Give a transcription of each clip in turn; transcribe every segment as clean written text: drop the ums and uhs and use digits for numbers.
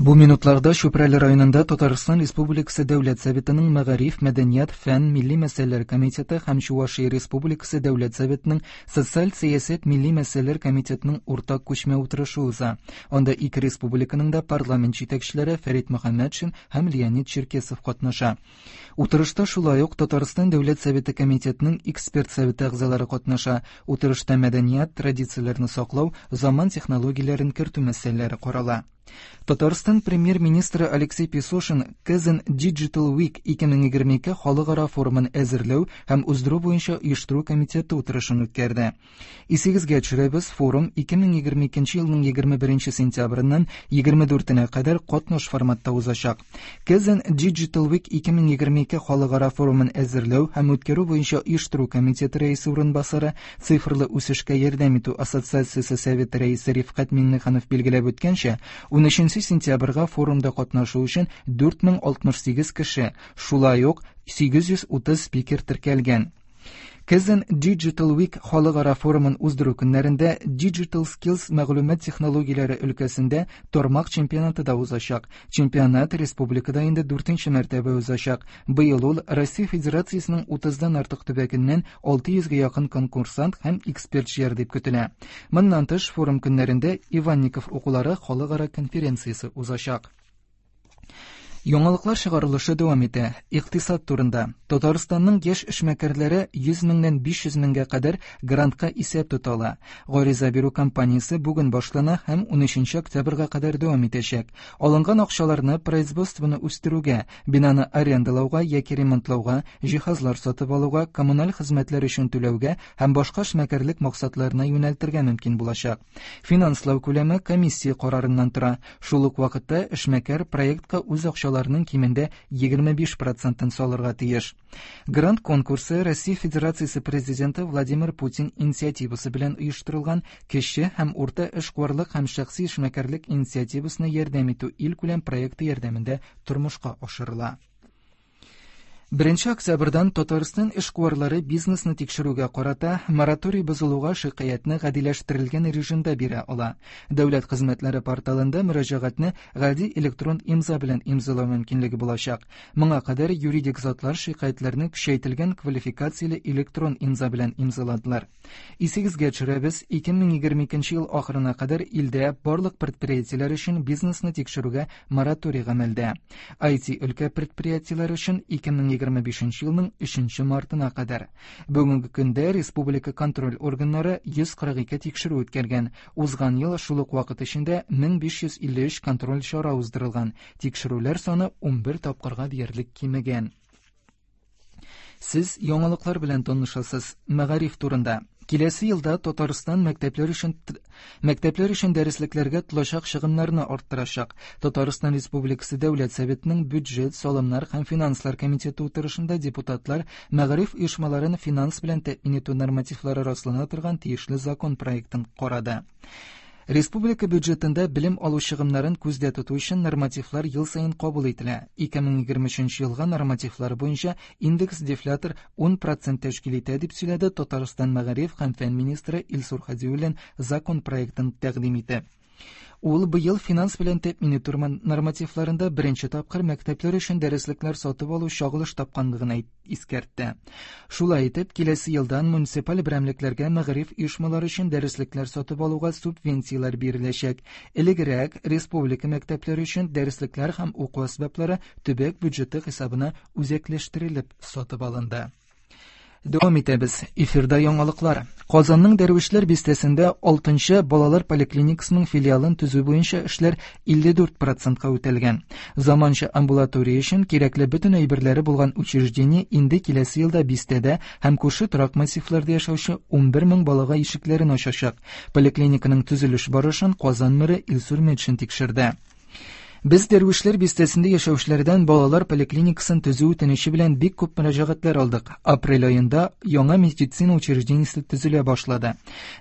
Бу минутларда Чүпрәле районында Татарстан Республикасы Дәүләт Советының Мәгариф, мәдәният, фән, милли мәсьәләләр комитеты һәм Чувашия Республикасы Дәүләт Советының Социаль сәясәт, милли мәсьәләләр комитетының уртак күчмә утырышы уза. Анда ике республиканың да парламент җитәкчеләре Фәрит Мөхәммәтшин һәм Леонид Черкесов катнаша. Утырышта шулай ук Татарстан Дәүләт Советы комитетының эксперт советы әгъзалары катнаша. Утырышта мәдәният, традицияләрне саклау, заман технологияләрен кертү мәсьәләләре карала. Татарстан премьер-министры Алексей Песошин Kazan Digital Week 2022 халыкара форумын әзерләү һәм уздыру буенча оештыру комитеты утырышын үткәрде. Исегезгә төшерәбез, форум 2022 елның 21 сентябреннән 24-нә кадәр катнаш форматта узачак. Kazan Digital Week 2022 халыкара форумын әзерләү һәм үткәрү буенча оештыру комитеты рәисе урынбасары, Цифрлы үсешкә ярдәм итү ассоциациясе советы рәисе Рифкать Миңнеханов билгеләп үткәнчә, 13 сентябрьгә форумда катнашу өчен 4068 кеше, шулай ук 830 спикер теркәлгән. Kazan Digital Week халыкара форумын уздыру көннәрендә Digital Skills мәгълүмат технологияләре өлкәсендә тармак чемпионаты да узачак. Чемпионат республикада инде дүртенче мәртәбә узачак. Быел ул Россия Федерациясенең 30-дан артык төбәгеннән 600 гә якын конкурсант һәм эксперт җыяр дип көтелә. Моннан тыш, форум көннәрендә Иванников укулары халыкара конференциясе узачак. Яңалыклар чыгарылышы дәвам итә. Икътисад турында. Татарстанның яшь эшмәкәрләре 100 меңнән 500 меңгә кадәр грантка исәп тота ала. Гариза бирү кампаниясе бүген башлана һәм 13 октябрьгә кадәр дәвам итәчәк. Алынган акчаларны производствоны үстерүгә, бинаны арендалауга яки ремонтлауга, җиһазлар сатып алуга, коммуналь хезмәтләр өчен түләүгә һәм башка эшмәкәрлек максатларына юнәлтергә мөмкин булачак. Финанслау күләме комиссия карарыннан тора. Шул ук вакытта эшмәкәр проектка үз акчаларының кимендә 25 процентын салырга тиеш. Грант конкурсы Россия Федерациясе Президенты Владимир Путин инициативасы белән оештырылган кече һәм урта эшкуарлык һәм шәхси эшмәкәрлек инициативасына ярдәм итү илкүләм проекты ярдәмендә тормышка ашырыла. 1 октябрьдән Татарстан эшкуарлары бизнесны тикшерүгә карата мораторий бозылуга шикаятьне гадиләштерелгән режимда бирә ала. Дәүләт хезмәтләре порталында мөрәҗәгатьне гади электрон имза белән имзалау мөмкинлеге булачак. Моңа кадәр юридик затлар шикаятьләрне көчәйтелгән квалификацияле электрон имза белән имзаладылар. Исегезгә төшерәбез, 2022 ел ахырына кадәр илдә барлык предприятиеләр өчен бизнесны тикшерүгә мораторий гамәлдә. IT өлкә предприятиеләре өчен 2025 елның 3 мартына кадәр. Бүгенге көндә республика контроль органнары 142 тикшерү үткәргән. Узган ел шул ук вакыт эчендә 1553 контроль чара уздырылган. Тикшерүләр саны 11 тапкырга диярлек кимегән. Сез яңалыклар белән танышасыз. Мәгариф турында. Киләсе елда Татарстан мәктәпләр өчен мәктәпләр өчен дәреслекләргә тотылачак чыгымнарны арттырачак. Татарстан Республикасы Дәүләт Советының бюджет, салымнар һәм финанслар комитеты утырышында депутатлар мәгариф оешмаларын финанс белән тәэмин итү нормативлары раслана торган тиешле закон проектын карады. Республика бюджетында белем алу чыгымнарын күздә тоту өчен нормативлар ел саен кабул ителә. 2023 елга нормативлар буенча индекс дефлятор 10% тәшкил итә, дип сөйләде Татарстан мәгариф һәм фән министры Илсур Хадиуллин закон проектын тәкъдим итеп. Ул быел финанс белән тәэмин итү нормативларында беренче тапкыр мәктәпләр өчен дәреслекләр сатып алу чагылыш тапканлыгын искәртте. Шулай итеп, киләсе елдан муниципаль берәмлекләргә мәгариф оешмалары өчен дәреслекләр сатып алуга субвенцияләр биреләчәк. Элегрәк республика мәктәпләре өчен дәреслекләр һәм уку әсбаплары төбәк бюджеты хисабына үзәкләштерелеп сатып алынды. Дәвам итәбез. Эфирда яңалыклар. Казанның Дәрвишләр бистәсендә 6-нчы балалар поликлиникасының филиалын төзү буенча эшләр 54%-ка үтәлгән. Заманча амбулатория өчен кирәкле бөтен әйберләре булган учреждение инде киләсе елда бистәдә һәм күрше торак массивларда яшәүче 11 мең балага ишекләрен ачачак. Поликлиниканың төзелеш барышын Казан мэры Илсур Метшин тикшерде. Без Дәрвишләр бистәсендә яшәүчеләрдән балалар поликлиникасын төзү үтенече белән бик күп мөрәҗәгатьләр алдык. Апрель аенда яңа медицина учреждениесе төзелә башлады.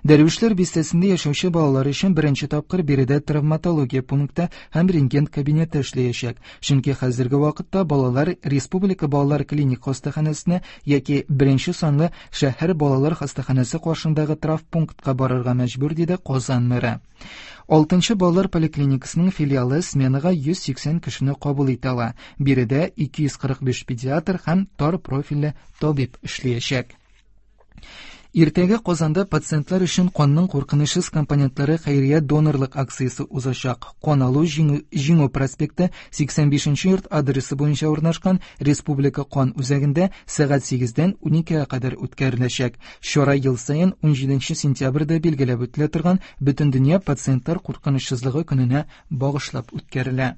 Дәрвишләр бистәсендә яшәүче балалар өчен беренче тапкыр биредә травматология пункты һәм рентген кабинеты эшләячәк. Чөнки хәзерге вакытта балалар Республика балалар клиник хастаханәсенә яки беренче санлы шәһәр балалар хастаханәсе каршындагы травмпунктка барырга мәҗбүр, диде Казан мэры. Алтынчы балалар поликлиникасының филиалы сменага 180 кешене кабул итә ала. Биредә 245 педиатр һәм тар профильле табиб эшләячәк. Иртәгә Казанда пациентлар өчен канның куркынычсыз компонентлары хәйрия донорлык акциясе узачак. Кан алу Җиңү проспекты 85 нче йорт адресы буенча урнашкан Республика кан үзәгендә сәгать 8-дән 12-гә кадәр үткәреләчәк. Чара ел саен 17 сентябрьдә билгеләп үтелә торган Бөтендөнья пациентлар куркынычсызлыгы көненә багышлап үткәрелә.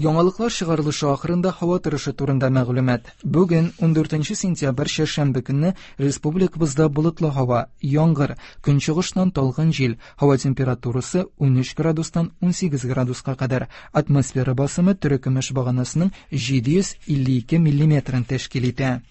Яңалыклар чыгарылышы ахырында һава торышы турында мәгълүмат. Бүген, 14 сентябрь, чәршәмбе көнне республикабызда болытлы һава, яңгыр, көнчыгыштан талгын җил, һава температурасы 13 градустан 18 градуска кадәр, атмосфера басымы терекөмеш баганасының 752 миллиметрын тәшкил итә.